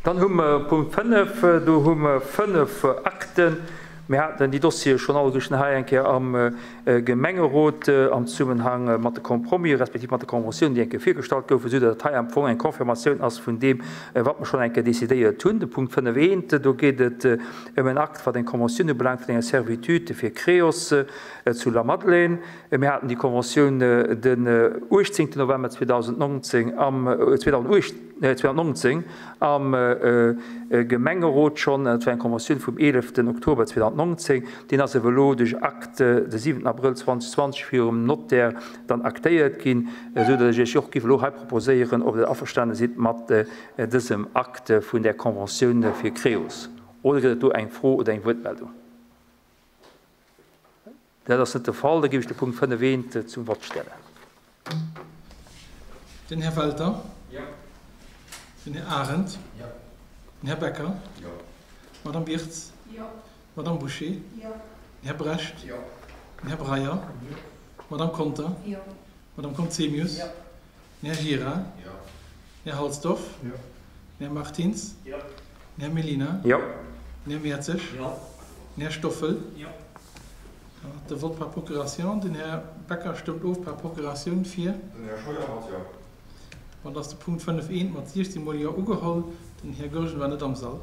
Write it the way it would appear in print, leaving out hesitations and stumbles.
Dann hu mer Punkt 5, do hu mer 5 Akten. Mir haten déi Dossiere schonn alleguerten hei eng Kéier am Gemengerot am Zesummenhang mat de Compromis respektiv mat de Conventiounen, déi eng Kéier virgestallt goufen, esou datt dat hei am Fong eng Confirmatioun ass vun deem, wat mer schonn eng Kéier decidéiert hunn. De Punkt 5 eent, do geet et ëm en Akt, wat eng Conventioun ubelaangt vun enger Servitude fir Creos zu Lamadelaine. Mir haten déi Conventioun den 18 November 2019 am 2019 am Gemengerot schonn. Dat war eng Conventioun vum 11 Oktober 2019. Deen ass awer elo duerch Acte de 7 Abrëll 2020 virum Notaire dann actéiert ginn, esou datt ech Iech och géif elo hei proposéieren, ob Der averstane sidd mat dësem Acte vun där Conventioun fir Creos. Oder gëtt et do eng Fro oder eng Wuertmeldung? Dat ass net de Fall. Da géif ech de Punkt 5 eent zum Vott stellen. Den Här Welter. Jo. Den Här Arendt. Jo. Den Här Becker. Jo. D'Madame Birtz. Jo. D'Madame Bouché. Jo. Den Här Brecht. Jo. Den Här Breyer. Jo. D'Madame Conter. Jo. D'Madame Conzemius. Jo. Den Här Gira. Jo. Den Här Halsdorf. Jo. Den Här Martins. Jo. Den Här Mellina. Jo. Den Här Mertzig. Jo. Den Här Stoffel. Jo. De Vote par procuration. Den Här Becker stëmmt of par Procuratioun fir. Den Här Scheuer mat Jo. Bon, da ass de Punkt 5 eent mat 16 mol Jo ugeholl. Den Här Goergen war net am Sall.